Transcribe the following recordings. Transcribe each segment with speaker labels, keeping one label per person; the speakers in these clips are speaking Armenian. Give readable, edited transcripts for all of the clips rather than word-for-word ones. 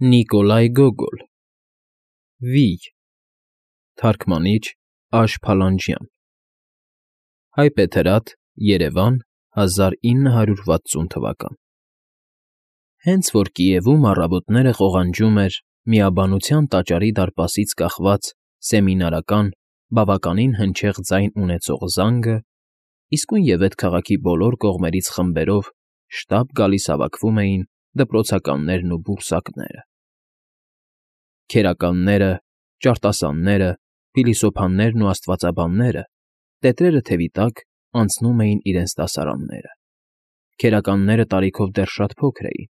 Speaker 1: Նիկոլայ Գոգոլ Վիյ Թարգմանիչ Փալանջյան Հայբեթրատ Երևան 1960 թվական Հենց որ Կիևում առավոտները ղողանջում էր Միաբանության տաճարի դարպասից կախված սեմինարական, բավականին հնչեղ ձայն ունեցող զանգը, իսկույնևեթ քաղաքի բոլոր կողմերից խմբերով շտապ գալիս հավաքվում էին դպրոցականներն ու բուրսակները. քերականները, ճարտասանները, փիլիսոփաներն ու աստվածաբանները, տետրերը թևի տակ, անցնում էին իրենց դասարանները. քերականները տարիքով դեռ շատ փոքր էին,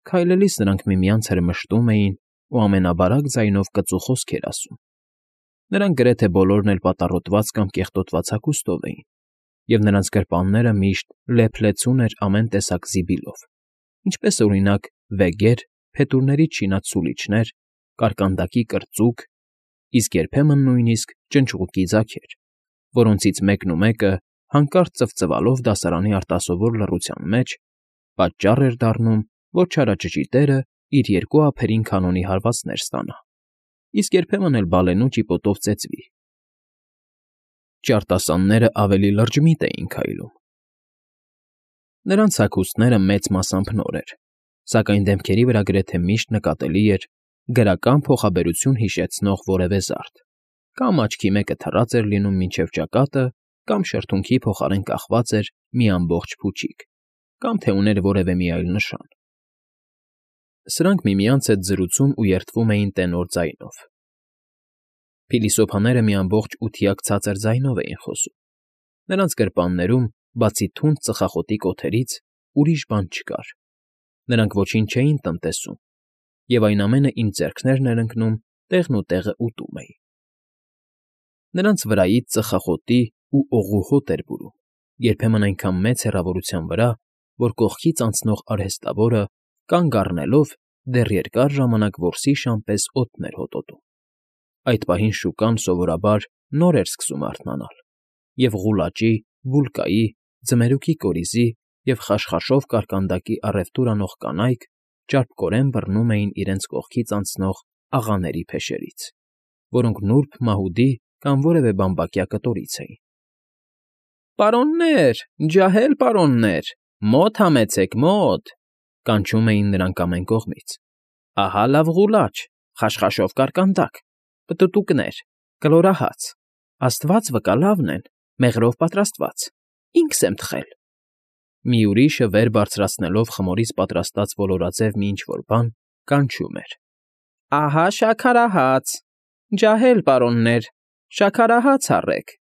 Speaker 1: քայլելիս նրանք միմյանց հրմշտում էին ու ամենաբարակ ձայնով կծու խոսքեր ասում. նրանք գրեթե բոլորն էլ պատառոտված կամ կեղտոտված հագուստով էին, և նրանց գրպանները միշտ լեփ-լեցուն էր ամեն տեսակ զիբիլով, ինչպես, օրինակ, վեգեր, փետուրներից շինած սուլիչներ, կարկանդակի կրծուկ, իսկ երբեմն նույնիսկ ճնճղուկի ձագեր, որոնցից մեկնումեկը, հանկարծ ծվծվալով դասարանի արտասովոր լռության մեջ, պատճառ էր դառնում, որ չարաճճի իր երկու ափերին քանոնի հարվածներ ստանա, իսկ երբեմն էլ բալենու ճիպոտով ծեծվի. Ճարտասաններն ավելի լրջմիտ էին քայլում. նրանց հագուստները մեծ մասամբ նոր էր, սակայն դեմքերի վրա գրեթե միշտ նկատելի էր գրական փոխաբերություն հիշեցնող որևէ զարդ, կամ աչքի մեկը թռած էր լինում մինչև ճակատը, կամ շրթունքի փոխարեն կախված էր մի ամբողջ փուչիկ, կամ թե ուներ որևէ մի այլ նշան. Սրանք միմյանց հետ զրուցում ու երդվում էին տենոր ձայնով. Փիլիսոփաները մի ամբողջ ութիակ ցածր ձայնով էին խոսում. նրանց գրպաններում, բացի թունդ ծխախոտի կոթերից, ուրիշ բան չկար. նրանք ոչինչ չէին տնտեսում, և այն ամենը, ինչ ձեռքներն էր ընկնում, տեղն ու տեղը ուտում էին. նրանց վրայից ծխախոտի ու օղու հոտ էր բուրում, երբեմն այնքան մեծ հեռավորության վրա, որ կողքից անցնող արհեստավորը, կանգ առնելով, դեռ երկար ժամանակ որսի պես օդն էր հոտոտում. այդ պահին շուկան, սովորաբար, նոր էր սկսում արթնանալ, և ղուլաճի, բուլկայի, ձմերուկի կորիզի և խաշխաշով կարկանդակի առևտուր անող կանայք ճարպկորեն բռնում էին իրենց կողքից անցնող աղաների փեշերից, որոնք նուրբ մահուդի կամ որևէ բամբակյա կտորից էին. «Պարոննե՜ր, ջահել պարոննե՜ր, մո՛տ համեցեք, մո՛տ», կանչում էին նրանք ամեն կողմից. «Ահա լավ ղուլաչ, խաշխաշով կարկանդակ, պտուտուկներ, կլորահաց, աստված վկա լավն են, մեղրով պատրաստված, ինքս եմ թխել»։ Մի ուրիշը, վեր բարձրացնելով խմորից պատրաստած ոլորաձև մի ինչ֊որ բան, կանչում էր. «Ահա շաքարահաց, ջահել պարոննե՜ր, շաքարահաց առեք»։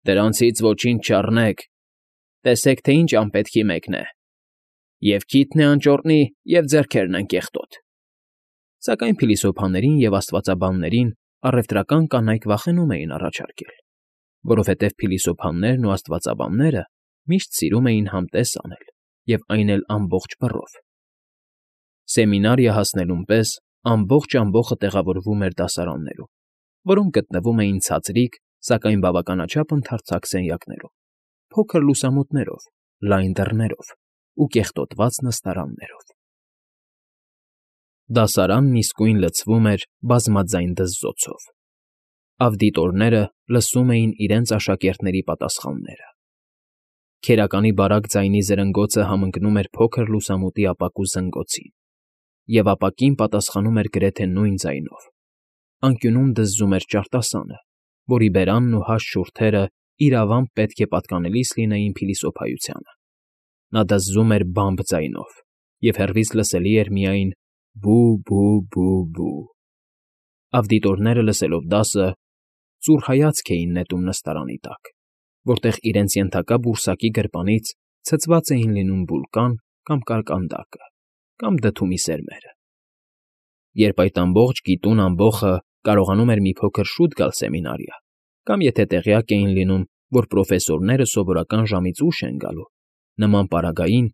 Speaker 1: «Դրանցից ոչինչ չառնեք, տեսեք, թե ինչ անպետքի մեկն է. և քիթն է անճոռնի, և ձեռքերն են կեղտոտ»։ Սակայն փիլիսոփաներին և աստվածաբաններին առևտրական կանայք վախենում էին առաջարկել, որովհետև փիլիսոփաներն ու աստվածաբանները միշտ սիրում էին համտես անել, և այն էլ ամբողջ բռով։ Սեմինարիա հասնելուն պես ամբողջ ամբոխը տեղավորվում էր դասարաններում, որոնք գտնվում էին ցածրիկ, սակայն բավականաչափ ընդարձակ սենյակներում, փոքր լուսամուտներով, լայն դռներով ու կեղտոտված նստարաններով։ Դասարանն իսկույն լցվում էր բազմաձայն դզզոցով. ավդիտորները լսում էին իրենց աշակերտների պատասխանները. քերականի բարակ ձայնի զրնգոցը համընկնում էր փոքր լուսամուտի ապակու զնգոցին, և ապակին պատասխանում էր գրեթե նույն ձայնով. անկյունում դզզում էր ճարտասանը, որի բերանն ու հաստ շուրթերը իրավամբ պետք է պատկանելիս լինեին փիլիսոփայությանը. նա դզզում էր բամբ ձայնով, և հեռվից լսելի էր միայն բու֊բու֊բու֊բու։ Ավդիտորները, լսելով դասը, ծուռ հայացք էին նետում նստարանի տակ, որտեղ իրենց ենթակա բուրսակի գրպանից ցցված էին լինում բուլկան կամ կարկանդակը կամ դդումի սերմերը։ Երբ այդ ամբողջ գիտուն ամբոխը կարողանում էր մի փոքր շուտ գալ սեմինարիա, կամ եթե տեղյակ էին լինում, որ պրոֆեսորները սովորական ժամից ուշ են գալու, նման պարագային,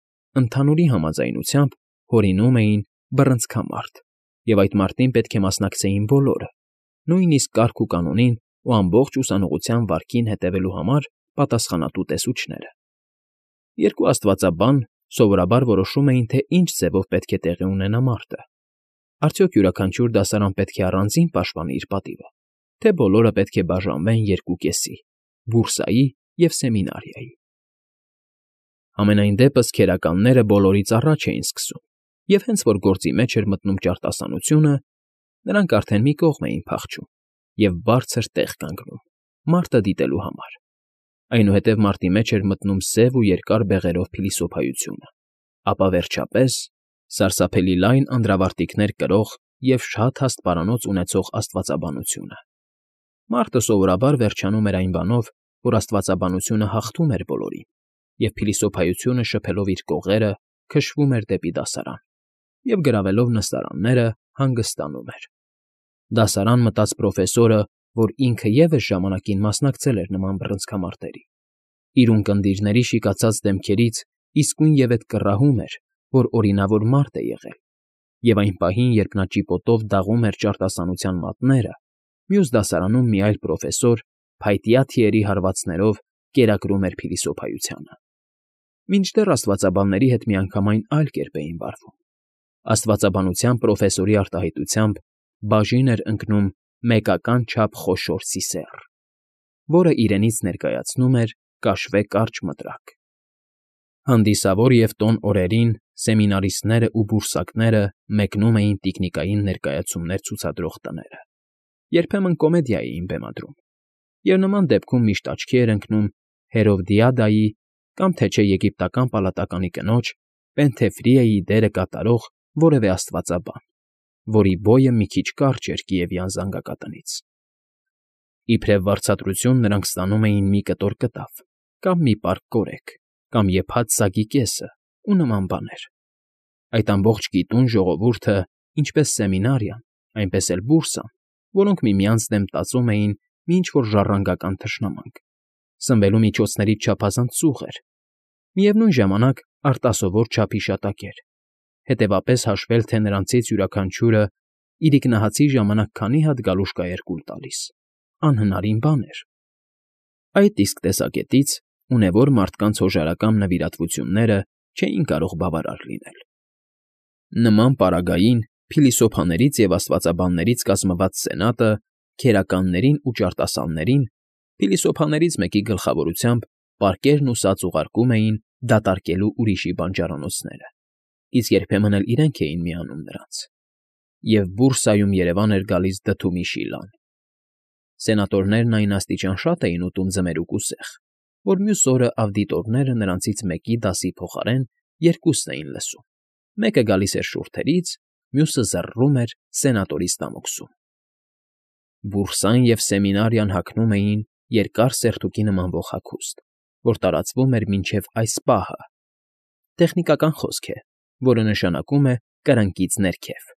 Speaker 1: ընդհանուրի համաձայնությամբ, հորինում էին բռնցքամարտ, և այդ մարտին պետք է մասնակցեին բոլորը, նույնիսկ կարգ ու կանոնին ու ամբողջ ուսանողության վարքին հետևելու համար պատասխանատու տեսուչները։ Երկու աստվածաբան սովորաբար որոշում էին, թե ինչ ձևով պետք է տեղի ունենա մարտը, Արդյոք յուրաքանչյուր դասարան պետք է առանձին պաշտպանի իր պատիվը, թե բոլորը պետք է բաժանվեն երկու կեսի՝ բուրսայի և սեմինարիայի։ Համենայն դեպս քերականները բոլորից առաջ էին սկսում, և հենց որ գործի մեջ էր մտնում ճարտասանությունը, նրանք արդեն մի կողմ էին փախչում և բարձր տեղ կանգնում, մարտը դիտելու համար։ Այնուհետև մարտի մեջ էր մտնում սև ու երկար բեղերով փիլիսոփայությունը, ապա վերջապես սարսափելի լայն անդրավարտիքներ կրող և շատ հաստ պարանոց ունեցող աստվածաբանությունը։ Մարտը սովորաբար վերջանում էր այն բանով, որ աստվածաբանությունը հաղթում էր բոլորին, և փիլիսոփայությունը շփելով իր կողերը քշվում էր դեպի դասարան, և գրավելով նստարանները հանգստանում էր։ Դասարան մտած պրոֆեսորը, որ ինքը ևս ժամանակին մասնակցել էր նման բռնցքամարտերի, իր ունկնդիրների շիկացած դեմքերից իսկույնևեթ կռահում էր, որ օրինավոր մարդ է եղել, և այն պահին, երբ նա ճիպոտով դաղում էր ճարտասանության մատները, մյուս դասարանում մի այլ պրոֆեսոր փայտյա թիերի հարվածներով կերակրում էր փիլիսոփայությանը։ Մինչդեռ աստվածաբանների հետ միանգամայն այլ կերպ էին վարվում։ Աստվածաբանության պրոֆեսորի արտահայտությամբ բաժին էր ընկնում մեկական չափ խոշոր սիսեռ, որը իրենից ներկայացնում էր կաշվե կարճ մտրակ։ Հանդիսավոր և տոն օրերին սեմինարիստներն ու բուրսակները մեկնում էին տիկնիկային ներկայացումներ ցուցադրող տները, երբեմն կոմեդիա էին բեմադրում, և նման դեպքում միշտ աչքի էր ընկնում Հերովդիադայի կամ թե չէ եգիպտական պալատականի կնոջ Պենթեֆրիայի դերը կատարող որևէ աստվածաբան, որի բոյը մի քիչ կարճ էր Կիևյան զանգակատնից։ Իբրև վարձատրություն նրանք ստանում էին մի կտոր կտավ, կամ մի պարկ կորեկ, կամ եփած սագի կեսը ու նման բաներ։ Այդ ամբողջ գիտուն ժողովուրդը, ինչպես սեմինարիան, այնպես էլ բուրսան, որոնք միմյանց դեմ տածում էին մի ինչ֊որ ժառանգական թշնամանք, սնվելու միջոցներից չափազանց ծուղ էր, միևնույն ժամանակ արտասովոր չափի շատակ էր, հետևապես հաշվել, թե նրանցից յուրաքանչյուրը իրիկնահացի ժամանակ քանի հատ գալուշկա էր կուլ տալիս, անհնարին բան էր։ Այդ իսկ տեսակետից ունևոր մարդկանց հոժարակամ նվիրատվությունները չէին կարող բավարար լինել։ Նման պարագային փիլիսոփաներից և աստվածաբաններից կազմված սենատը քերականներին ու ճարտասաններին փիլիսոփաներից մեկի գլխավորությամբ պարկերն ու սաց ուղարկում էին դատարկելու ուրիշի բանջարանոցները, իսկ երբեմն էլ իրենք էին միանում նրանց, և բուրսայում երևան էր գալիս դդումի շիլան։ Սենատորներն այն աստիճան շատ էին ուտում ձմերուկ ու սեխ, որ մյուս օրը ավդիտորները նրանցից մեկի դասի փոխարեն երկուսն էին լսում. մեկը գալիս էր շուրթերից, մյուսը զռռում էր սենատորի ստամոքսում։ Բուրսան և սեմինարիան հագնում էին երկար սերտուկի նմանվող հագուստ, որ տարածվում էր մինչև այս պահը։ Տեխնիկական խոսք է, որը նշանակում է կրնկից ներքև։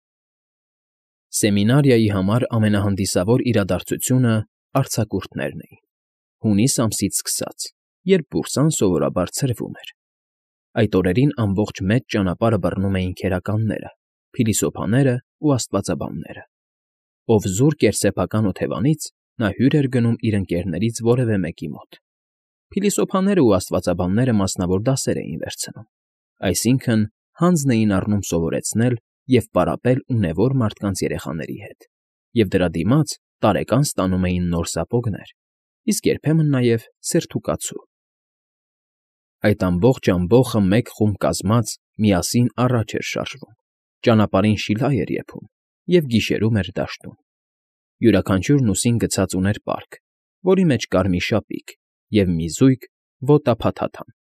Speaker 1: Սեմինարիայի համար ամենահանդիսավոր իրադարձությունը արձակուրդներն էին, հունիս ամսից սկսած, երբ բուրսան սովորաբար ցրվում էր։ Այդ օրերին ամբողջ մեծ ճանապարհը բռնում էին քերականները, փիլիսոփաները ու աստվածաբանները։ Ով զուրկ էր սեփական օթևանից, նա հյուր էր գնում իր ընկերներից որևէ մեկի մոտ։ Փիլիսոփաները ու աստվածաբանները մասնավոր դասեր էին վերցնում, այսինքն հանձն էին առնում սովորեցնել և պարապել ունևոր մարդկանց երեխաների հետ, և դրա դիմաց տարեկան ստանում էին նոր սապոգներ, իսկ երբեմն նաև սերթուկացու։ Այդ ամբողջ ամբոխը մեկ խումբ կազմած միասին առաջ էր շարժվում, ճանապարհին շիլա էր եփում և գիշերում էր դաշտում։ Յուրաքանչյուրն ուսին գցած ուներ պարկ, որի մեջ կար մի շապիկ և մի զույգ ոտափաթաթան։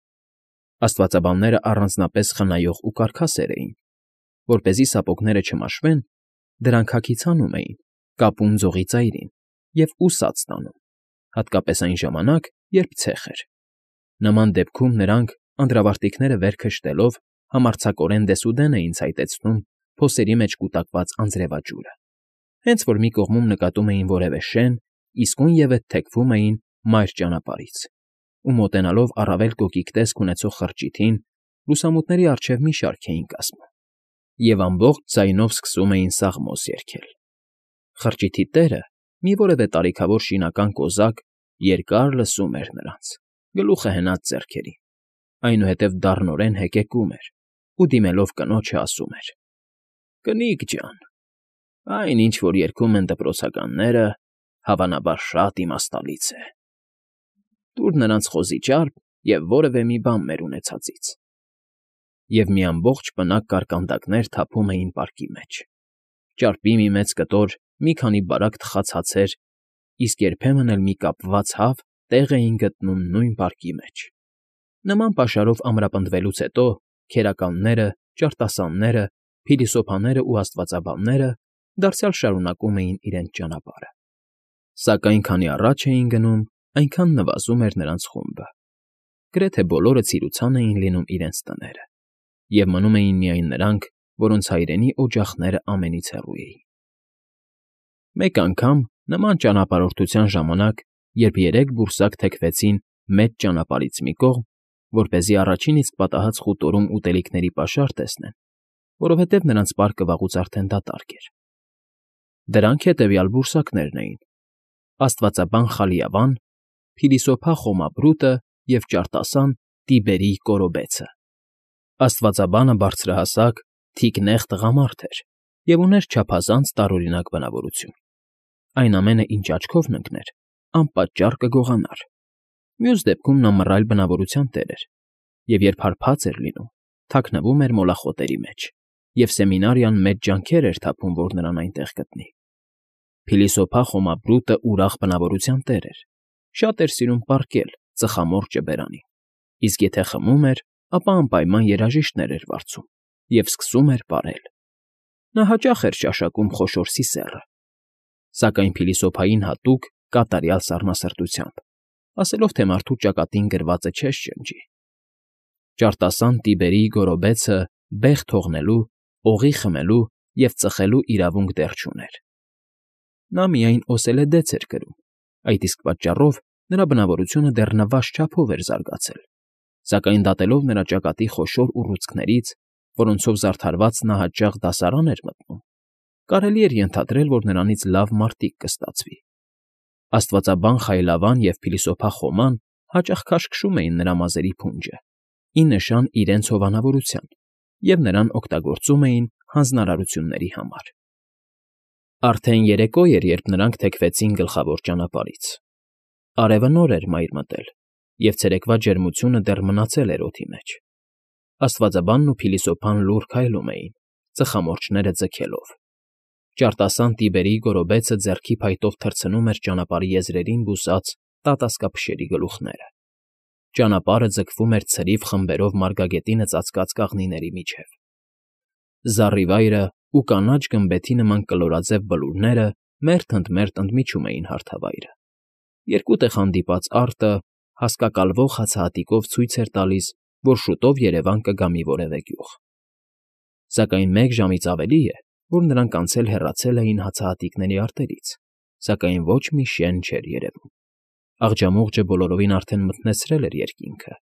Speaker 1: Աստվածաբանները առանձնապես խնայող ու կարքասեր էին, որպեսզի սապոգները չմաշվեն, դրանք հագից հանում էին, կապում ձողի ծայրին և ուսած տանում, հատկապես այն ժամանակ, երբ ցեխ էր։ Նման դեպքում նրանք, անդրավարտիքները վեր քշտելով, համարձակորեն դեսուդեն էին ցայտեցնում փոսերի մեջ կուտակված անձրևաճուրը։ Հենց որ մի կողմում նկատում էին որևէ շեն, իսկույնևեթ թեքվում էին մայր ճանապարհից ու մոտենալով առավել կոկիկ տեսք ունեցող խրճիթին, լուսամուտների առջև մի շարք էին կասում և ամբողջ ձայնով սկսում էին սաղմոս երգել։ Խրճիթի տերը, մի որևէ տարիքավոր շինական կոզակ, երկար լսում էր նրանց, գլուխը հենած ձեռքերին, այնուհետև դառնորեն հեկեկում էր ու դիմելով կնոջը ասում էր. «Կնիկ ջան, Այն, ինչ որ երգում են դպրոցականները, հավանաբար շատ իմաստալից է։ Տուր նրանց խոզի ճարպ և որևէ մի բան մեր ունեցածից։ Եվ մի ամբողջ պնակ կարկանդակներ թափում էին պարկի մեջ, ճարպի մի մեծ կտոր, մի քանի բարակ թխած հացեր, իսկ երբեմն էլ մի կապված հավ տեղ էին գտնում նույն պարկի մեջ։ Նման պաշարով ամրապնդվելուց հետո քերականները, ճարտասանները, փիլիսոփաներն ու աստվածաբանները դարձյալ շարունակում էին իրենց ճանապարհը։ Սակայն քանի առաջ էին գնում, այնքան նվազում էր նրանց խումբը։ Գրեթե բոլորը ցիրուցան էին լինում իրենց տները, և մնում էին միայն նրանք, որոնց հայրենի օջախները ամենից հեռու էին։ Մեկ անգամ նման ճանապարհորդության ժամանակ, երբ երեք բուրսակ թեքվեցին մեծ ճանապարհից մի կողմ, որպեսզի առաջին իսկ պատահած խուտորում ուտելիքների պաշար տեսնեն, որովհետև նրանց պարկը վաղուց արդեն դատարկ էր։ Դրանք հետևյալ բուրսակներն էին. աստվածաբան Խալիավան, փիլիսոփա Խոմաբրուտը և ճարտասան Տիբերի Կորոբեցը։ Աստվածաբանը բարձրահասակ, թիկնեղ տղամարդ էր և ուներ չափազանց տարօրինակ բնավորություն։ Այն ամենը, ինչ աչքով ընկներ, անպատճառ կգողանար։ Մյուս դեպքում նա մռայլ բնավորության տեր էր, և երբ հարբած էր լինում, թաքնվում էր մոլախոտերի մեջ, և սեմինարիան մեծ ջանքեր էր թափում, որ նրան այնտեղ գտնի։ Փիլիսոփա Խոմաբրուտը ուրախ բնավորության տեր էր, շատ էր սիրում պառկել, ծխամորճը բերանին, իսկ եթե խմում էր, ապա անպայման երաժիշտներ էր վարձում և սկսում էր պարել։ Նա հաճախ էր ճաշակում խոշոր սիսեռը, սակայն փիլիսոփային հատուկ կատարյալ սառնասրտությամբ, ասելով, թե մարդու ճակատին գրվածը չես շնչի։ Ճարտասան Տիբերի Գորոբեցը բեղ թողնելու, օղի խմելու և ծխելու իրավունք դեռ չուներ։ Նա միայն օսելեդեց էր կրում, այդ իսկ պատճառով նրա բնավորությունը դեռ նվազ չափով էր զարգացել, սակայն դատելով նրա ճակատի խոշոր ուռուցքներից, որոնցով զարդարված նա հաճախ դասարան էր մտնում, կարելի էր ենթադրել, որ նրանից լավ մարտիկ կստացվի։ Աստվածաբան Խայլավան և փիլիսոփա Խոման հաճախ քաշքշում էին նրա մազերի փունջը, ի նշան իրենց հովանավորության, և նրան օգտագործում էին հանձնարարությունների համար։ Արդեն երեկո էր, երբ նրանք թեքվեցին գլխավոր ճանապարհից։ Արևը նոր էր մայր մտել, և ցերեկվա ջերմությունը դեռ մնացել էր օդի մեջ։ Աստվածաբանն ու փիլիսոփան լուռ քայլում էին, ծխամորճները ձգելով։ Ճարտասան Տիբերի Գորոբեցը ձեռքի փայտով թռցնում էր ճանապարհի եզրերին բուսած տատասկափշերի գլուխները։ Ճանապարհը ձգվում էր ցրիվ խմբերով մարգագետինը ծածկած կաղնիների միջև։ Զառիվայրը ու կանաչ գմբեթի նման կլորաձև բլուրները մերթ ընդ ընդմիջում էին հարթավայրը։ Երկու տեղ հանդիպած արտը հասկակալվող հացահատիկով ցույց էր տալիս, որ շուտով Երևան կգա մի որևէ գյուղ։ Սակայն մեկ ժամից ավելի է, որ նրանք անցել հեռացել էին հացահատիկների արտերից, սակայն ոչ մի շեն չէր երևում։ Աղջամուղջը բոլորովին արդեն մթնեցրել էր երկինքը,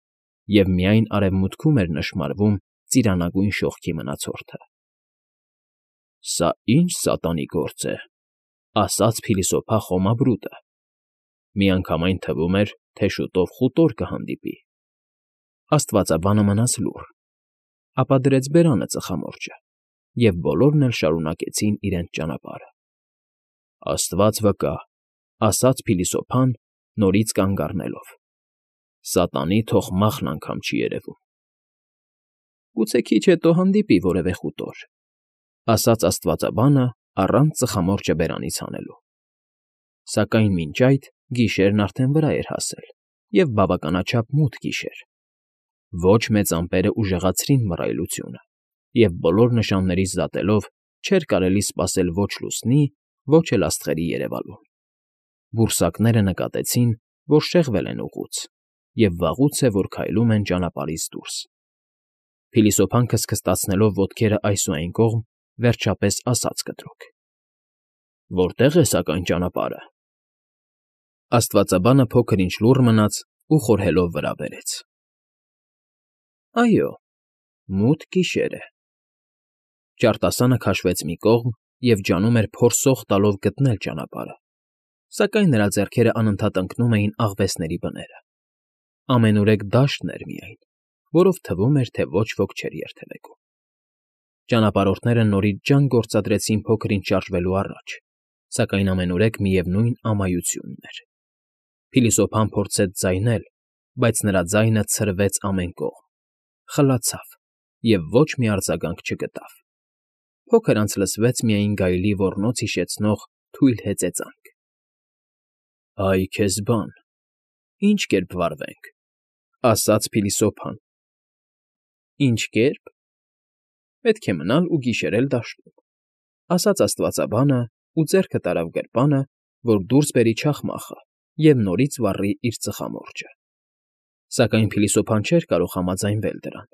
Speaker 1: և միայն արևմուտքում էր նշմարվում ծիրանագույն շողքի մնացորդը։ «Սա ի՞նչ սատանի գործ է», ասաց փիլիսոփա Խոմաբրուտը։ Միանգամայն թվում էր, թե շուտով խուտոր կհանդիպի։ Աստվածաբանը մնաց լուռ, ապա դրեց բերանը ծխամորճը, և բոլորն էլ շարունակեցին իրենց ճանապարհը։ «Աստված վկա», ասաց փիլիսոփան, նորից կանգ առնելով։ «Սատանի թող մախն անգամ չի երևում»։ «Գուցե քիչ հետո հանդիպի որևէ խուտոր», ասաց աստվածաբանը առանց ծխամորճը բերանից հանելու։ Սակայն մինչ այդ գիշերն արդեն վրա էր հասել, և բավականաչափ մութ գիշեր։ Ոչ մեծ ամպերը ուժեղացրին մռայլությունը, և բոլոր նշաններից դատելով չէր կարելի սպասել ոչ լուսնի, ոչ էլ աստղերի երևալուն։ Բուրսակները նկատեցին, որ շեղվել են ուղուց, և վաղուց է, որ քայլում են ճանապարհից դուրս։ Փիլիսոփան քստքստացնելով ոտքերը այս ու այն կողմ, վերջապես ասաց կտրուկ. «Որտե՞ղ է սակայն ճանապարհը»։ Աստվածաբանը փոքր-ինչ լուռ մնաց ու խորհելով վրա բերեց. «Այո, մութ գիշեր է»։ Ճարտասանը քաշվեց մի կողմ և ջանում էր փորսող տալով գտնել ճանապարհը, սակայն նրա ձեռքերը անընդհատ ընկնում էին աղվեսների բները։ Ամենուրեք դաշտն էր միայն, որով թվում էր, թե ոչ ոք չէր երթևեկում։ Ճանապարհորդները նորից ջան գործադրեցին փոքր-ինչ շարժվելու առաջ, սակայն ամենուրեք միևնույն ամայությունն էր։ Փիլիսոփան փորձեց ձայնել, բայց նրա ձայնը ցրվեց ամեն կողմ, խլացավ և ոչ մի արձագանք չգտավ։ Փոքր անց լսվեց միայն գայլի ոռնոց հիշեցնող թույլ հեծեծանք։ «Այ քեզ բան, ի՞նչ կերպ վարվենք,֊ ասաց փիլիսոփան։ «Ի՞նչ կերպ… Պետք է մնալ ու գիշերել դաշտում»,֊ ասաց աստվածաբանը ու ձեռքը տարավ գրպանը, որ դուրս բերի չախմախը և նորից վառի իր ծխամորճը։ Սակայն փիլիսոփան չէր կարող համաձայնվել դրան.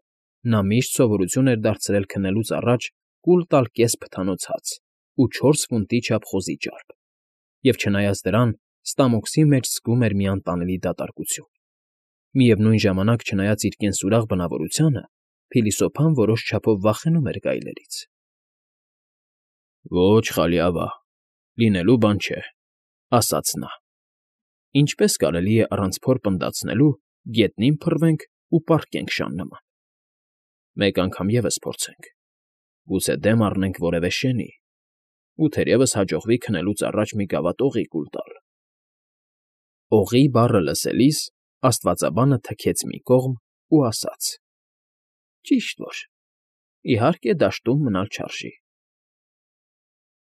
Speaker 1: նա միշտ սովորություն էր դարձրել քնելուց առաջ կուլ տալ կես փթանոց հաց ու 4 ֆունտի չափ խոզի ճարպ, և չնայած դրան, ստամոքսի մեջ զգում էր մի անտանելի դատարկություն։ Միևնույն ժամանակ, չնայած իր կենսուրախ բնավորությանը, փիլիսոփան որոշ չափով վախենում էր գայլերից։ «Ոչ, Խալիավա, լինելու բան չէ,֊ ասաց նա։ «Ինչպե՞ս կարելի է առանց փոր պնդացնելու գետնին փռվենք ու պառկենք շան նման։ Մեկ անգամ ևս փորձենք, գուցե դեմ առնենք որևէ շենի, ու թերևս հաջողվի քնելուց առաջ մի գավաթ օղի կուլ տալ»։ «Օղի» բառը լսելիս աստվածաբանը թքեց մի կողմ ու ասաց. «Ճիշտ որ, իհարկե, դաշտում մնալ չարժի»։